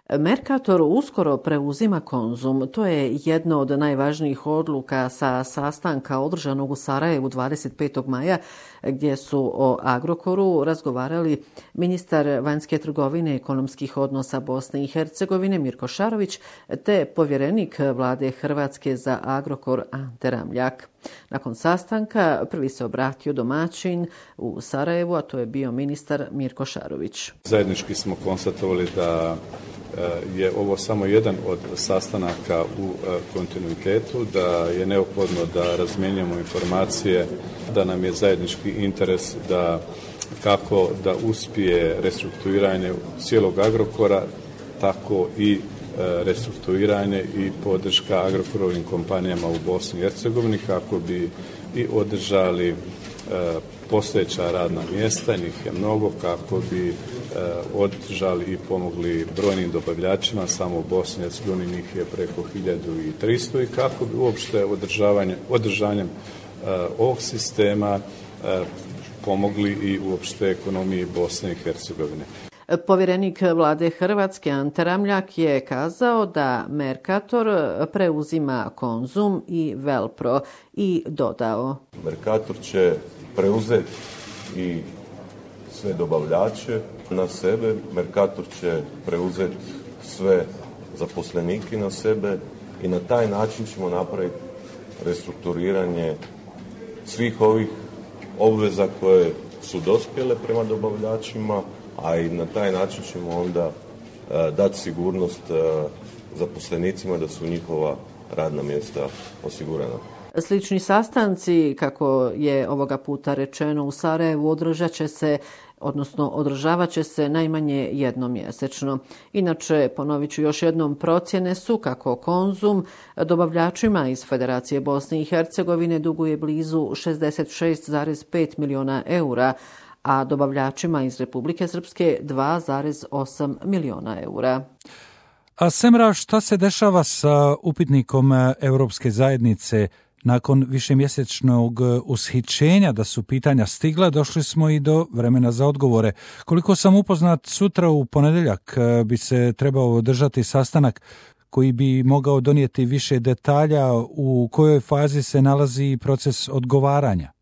Mercator uskoro preuzima Konzum. To je jedno od najvažnijih odluka sa sastanka održanog u Sarajevu 25. maja, gdje su o Agrokoru razgovarali ministar vanjske trgovine i ekonomskih odnosa Bosne i Hercegovine Mirko Šarović te povjerenik vlade Hrvatske za Agrokor Ante Ramljak. Nakon sastanka prvi se obratio domaćin u Sarajevu, a to je bio ministar Mirko Šarović. Zajednički smo konstatovali da je ovo samo jedan od sastanaka u kontinuitetu, da je neophodno da razmjenjujemo informacije, da nam je zajednički interes da kako da uspije restrukturiranje cijelog Agrokora, tako i restrukturiranje i podrška Agrokorovim kompanijama u Bosni i Hercegovini kako bi i održali postojeća radna mjesta, njih je mnogo, kako bi održali i pomogli brojnim dobavljačima, samo u Bosni i Hercegovini njih je preko 1300 i kako bi uopšte održanjem ovog sistema pomogli i uopšte ekonomiji Bosne i Hercegovine. Povjerenik vlade Hrvatske Ante Ramljak je kazao da Mercator preuzima Konzum i Velpro i dodao: Mercator će preuzeti i sve dobavljače na sebe, Mercator će preuzeti sve zaposlenike na sebe i na taj način ćemo napraviti restrukturiranje svih ovih obveza koje su dospjele prema dobavljačima, a i na taj način ćemo onda dati sigurnost zaposlenicima da su njihova radna mjesta osigurana. Slični sastanci, kako je ovoga puta rečeno u Sarajevu, održavat će se najmanje jednom mjesečno. Inače, ponovit ću još jednom, procjene su kako Konzum dobavljačima iz Federacije Bosne i Hercegovine duguje blizu 66,5 milijuna eura, a dobavljačima iz Republike Srpske 2,8 milijuna eura. A Semra, šta se dešava sa upitnikom Europske zajednice? Nakon višemjesečnog ushićenja da su pitanja stigla, došli smo i do vremena za odgovore. Koliko sam upoznat, sutra u ponedjeljak bi se trebao održati sastanak koji bi mogao donijeti više detalja u kojoj fazi se nalazi proces odgovaranja.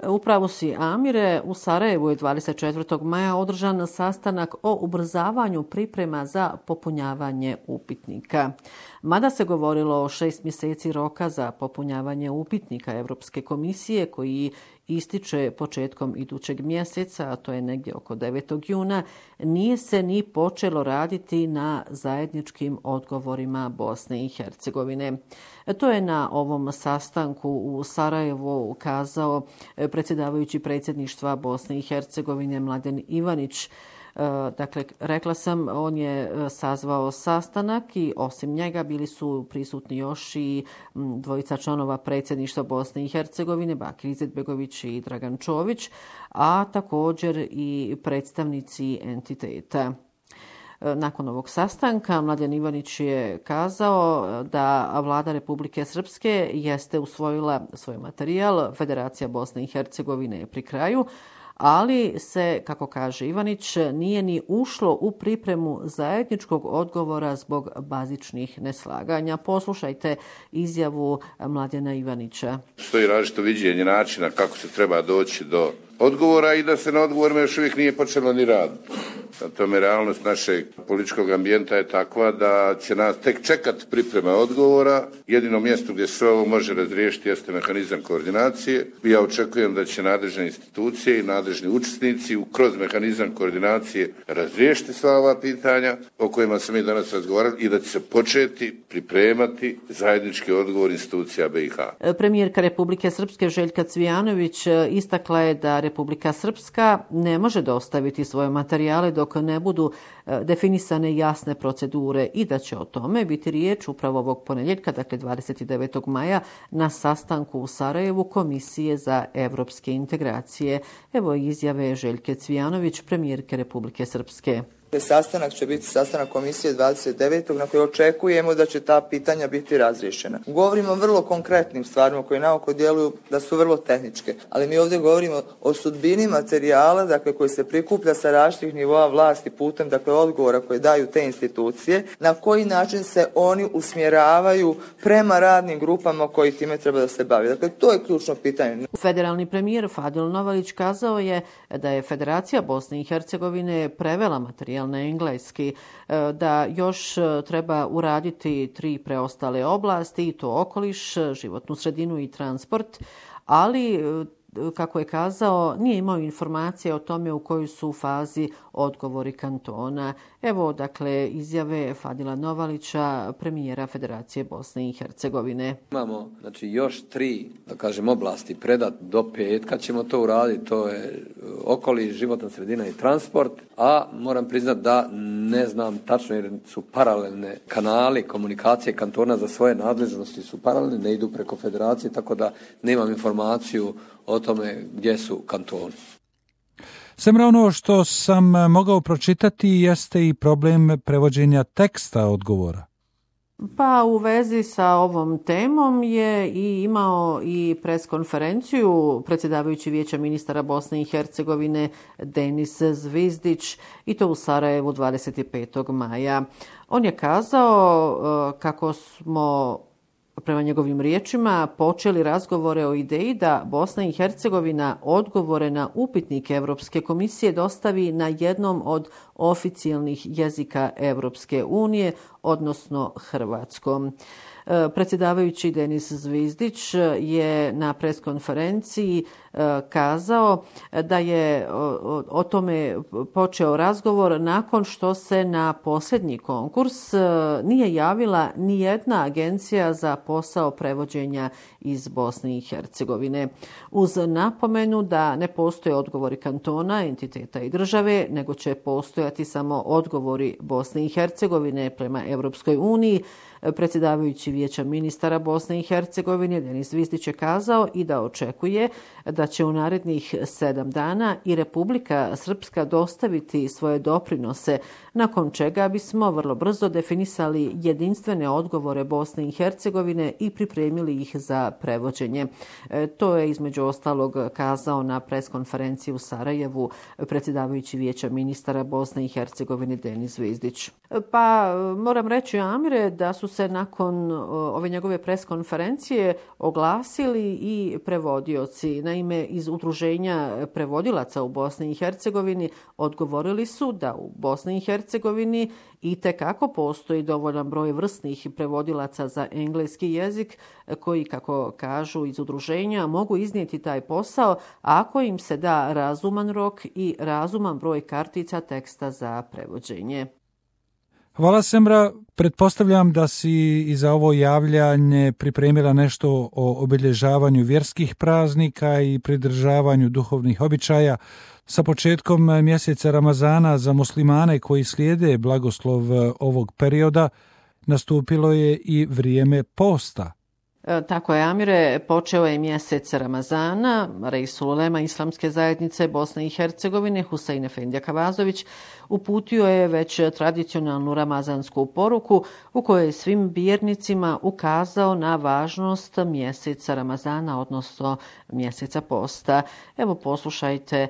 Upravo si, Amire, u Sarajevu je 24. maja održan sastanak o ubrzavanju priprema za popunjavanje upitnika. Mada se govorilo o 6 mjeseci roka za popunjavanje upitnika Europske komisije koji ističe početkom idućeg mjeseca, a to je negdje oko 9. juna, nije se ni počelo raditi na zajedničkim odgovorima Bosne i Hercegovine. To je na ovom sastanku u Sarajevu ukazao predsjedavajući predsjedništva Bosne i Hercegovine Mladen Ivanić. Dakle, rekla sam, on je sazvao sastanak i osim njega bili su prisutni još i dvojica članova predsjedništva Bosne i Hercegovine, Bakir Izetbegović i Dragan Čović, a također i predstavnici entiteta. Nakon ovog sastanka Mladen Ivanić je kazao da vlada Republike Srpske jeste usvojila svoj materijal, Federacija Bosne i Hercegovine je pri kraju, ali se, kako kaže Ivanić, nije ni ušlo u pripremu zajedničkog odgovora zbog bazičnih neslaganja. Poslušajte izjavu Mladena Ivanića. Stoji različito viđenje načina kako se treba doći do odgovora i da se na odgovorima još uvijek nije počelo ni raditi. Na tome realnost našeg političkog ambijenta je takva da će nas tek čekati priprema odgovora. Jedino mjesto gdje se ovo može razriješiti jeste mehanizam koordinacije. Ja očekujem da će nadležne institucije i nadležni učesnici kroz mehanizam koordinacije razriješiti sva ova pitanja o kojima smo mi danas razgovarali i da će se početi pripremati zajednički odgovor institucija BiH. Premijerka Republike Srpske Željka Cvijanović istakla je da Republika Srpska ne može dostaviti svoje materijale dok ne budu definisane jasne procedure i da će o tome biti riječ upravo ovog ponedjeljka, dakle 29. maja, na sastanku u Sarajevu Komisije za evropske integracije. Evo izjave Željke Cvijanović, premijerke Republike Srpske. Sastanak će biti sastanak komisije 29. na koji očekujemo da će ta pitanja biti razriješena. Govorimo o vrlo konkretnim stvarima koje naoko djeluju da su vrlo tehničke, ali mi ovdje govorimo o sudbini materijala, dakle, koji se prikuplja sa različitih nivoa vlasti putem, dakle, odgovora koje daju te institucije, na koji način se oni usmjeravaju prema radnim grupama koji time treba da se bavi. Dakle, to je ključno pitanje. Federalni premijer Fadil Novalić kazao je da je Federacija Bosne i Hercegovine prevela materijal na engleski, da još treba uraditi 3 preostale oblasti, i to okoliš, životnu sredinu i transport, ali kako je kazao, nije imao informacije o tome u kojoj su u fazi odgovori kantona. Evo, dakle, izjave Fadila Novalića, premijera Federacije Bosne i Hercegovine. Imamo, znači, još 3, da kažem, oblasti predat do petka ćemo to uraditi. To je okoliš, životna sredina i transport, a moram priznati da ne znam tačno jer su paralelne kanali komunikacije kantona za svoje nadležnosti su paralelne, ne idu preko federacije, tako da nemam informaciju o tome gdje su kantoni. Semra, ono što sam mogao pročitati jeste i problem prevođenja teksta odgovora. Pa u vezi sa ovom temom je i imao i preskonferenciju predsjedavajući Vijeća ministara Bosne i Hercegovine Denis Zvizdić, i to u Sarajevu 25. maja. On je kazao kako smo, prema njegovim riječima, počeli razgovore o ideji da Bosna i Hercegovina odgovore na upitnike Europske komisije dostavi na jednom od oficijalnih jezika Europske unije, odnosno hrvatskom. Predsjedavajući Denis Zvizdić je na preskonferenciji kazao da je o tome počeo razgovor nakon što se na posljednji konkurs nije javila ni jedna agencija za posao prevođenja iz Bosne i Hercegovine. Uz napomenu da ne postoje odgovori kantona, entiteta i države, nego će postojati samo odgovori Bosne i Hercegovine prema Europskoj uniji, predsjedavajući Vijeća ministara Bosne i Hercegovine Denis Zvizdić je kazao i da očekuje da će u narednih 7 dana i Republika Srpska dostaviti svoje doprinose, nakon čega bismo vrlo brzo definisali jedinstvene odgovore Bosne i Hercegovine i pripremili ih za prevođenje. To je između ostalog kazao na preskonferenciji u Sarajevu predsjedavajući Vijeća ministara Bosne i Hercegovine Denis Zvizdić. Pa moram reći, Amire, da su se nakon ove njegove preskonferencije oglasili i prevodioci. Naime, iz Udruženja prevodilaca u Bosni i Hercegovini odgovorili su da u Bosni i Hercegovini itekako postoji dovoljan broj vrsnih prevodilaca za engleski jezik koji, kako kažu iz udruženja, mogu iznijeti taj posao ako im se da razuman rok i razuman broj kartica teksta za prevođenje. Hvala, Semra. Pretpostavljam da si i za ovo javljanje pripremila nešto o obilježavanju vjerskih praznika i pridržavanju duhovnih običaja. Sa početkom mjeseca Ramazana za muslimane koji slijede blagoslov ovog perioda nastupilo je i vrijeme posta. Tako je, Amire, počeo je mjesec Ramazana. Reisul ulema Islamske zajednice Bosne i Hercegovine Husein Efendija Kavazović uputio je već tradicionalnu ramazansku poruku u kojoj je svim vjernicima ukazao na važnost mjeseca Ramazana, odnosno mjeseca posta. Evo, poslušajte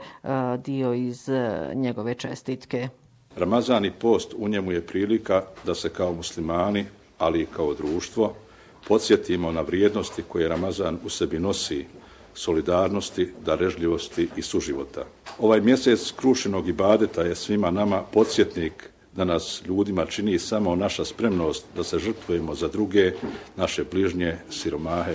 dio iz njegove čestitke. Ramazan i post, u njemu je prilika da se kao muslimani, ali i kao društvo, podsjetimo na vrijednosti koje Ramazan u sebi nosi, solidarnosti, darežljivosti i suživota. Ovaj mjesec krušenog ibadeta je svima nama podsjetnik da nas ljudima čini samo naša spremnost da se žrtvujemo za druge, naše bližnje, siromahe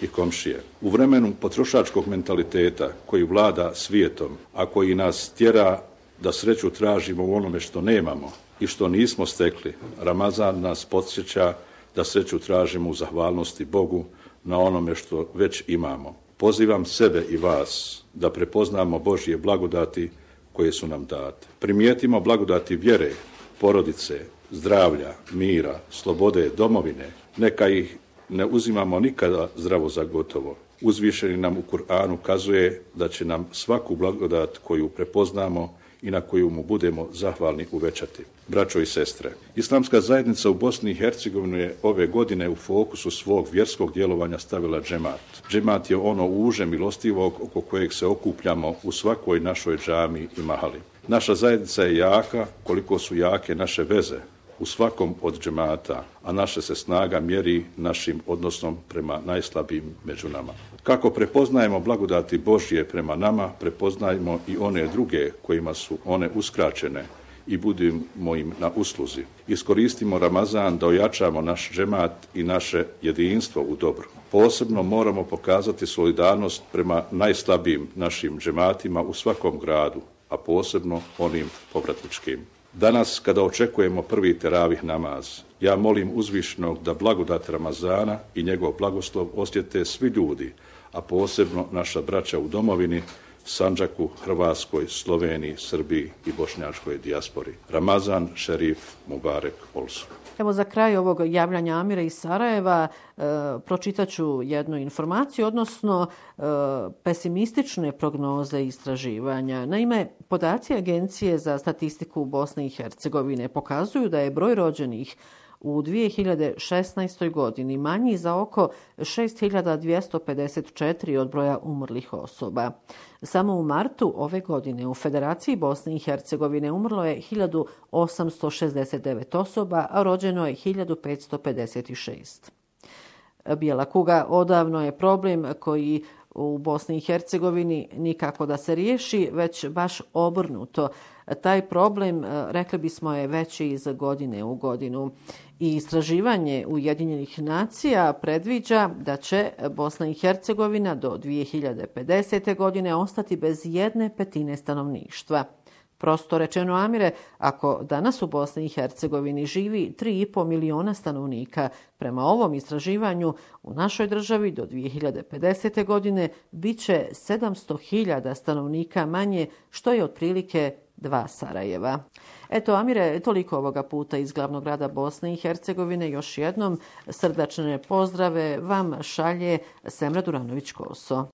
i komšije. U vremenu potrošačkog mentaliteta koji vlada svijetom, a koji nas tjera da sreću tražimo u onome što nemamo i što nismo stekli, Ramazan nas podsjeća da sreću tražimo u zahvalnosti Bogu na onome što već imamo. Pozivam sebe i vas da prepoznamo Božje blagodati koje su nam date. Primijetimo blagodati vjere, porodice, zdravlja, mira, slobode, domovine. Neka ih ne uzimamo nikada zdravo za gotovo. Uzvišeni nam u Kur'anu kazuje da će nam svaku blagodat koju prepoznamo i na koju mu budemo zahvalni uvećati. Braćo i sestre, Islamska zajednica u Bosni i Hercegovini je ove godine u fokusu svog vjerskog djelovanja stavila džemat. Džemat je ono uže milostivog oko kojeg se okupljamo u svakoj našoj džami i mahali. Naša zajednica je jaka koliko su jake naše veze u svakom od džemata, a naša se snaga mjeri našim odnosom prema najslabijim među nama. Kako prepoznajemo blagodati Božje prema nama, prepoznajmo i one druge kojima su one uskraćene i budimo im na usluzi. Iskoristimo Ramazan da ojačamo naš džemat i naše jedinstvo u dobru. Posebno moramo pokazati solidarnost prema najslabijim našim džematima u svakom gradu, a posebno onim povratničkim. Danas, kada očekujemo prvi teravih namaz, ja molim uzvišenog da blagodat Ramazana i njegov blagoslov osjete svi ljudi, a posebno naša braća u domovini, Sandžaku, Hrvatskoj, Sloveniji, Srbiji i bošnjačkoj dijaspori. Ramazan Šerif Mubarek Olsu. Evo za kraj ovog javljanja Amira iz Sarajeva pročitat ću jednu informaciju, odnosno pesimistične prognoze istraživanja. Naime, podaci Agencije za statistiku Bosne i Hercegovine pokazuju da je broj rođenih u 2016. godini manji za oko 6.254 od broja umrlih osoba. Samo u martu ove godine u Federaciji Bosne i Hercegovine umrlo je 1.869 osoba, a rođeno je 1.556. Bijela kuga odavno je problem koji u Bosni i Hercegovini nikako da se riješi, već baš obrnuto. Taj problem, rekli bismo, je veći iz godine u godinu. I istraživanje Ujedinjenih nacija predviđa da će Bosna i Hercegovina do 2050. godine ostati bez 1/5 stanovništva. Prosto rečeno, Amire, ako danas u Bosni i Hercegovini živi 3,5 miliona stanovnika, prema ovom istraživanju u našoj državi do 2050. godine bit će 700.000 stanovnika manje, što je otprilike 2 Sarajeva. Eto, Amire, toliko ovoga puta iz glavnog grada Bosne i Hercegovine. Još jednom srdačne pozdrave vam šalje Semra Duranović-Koso.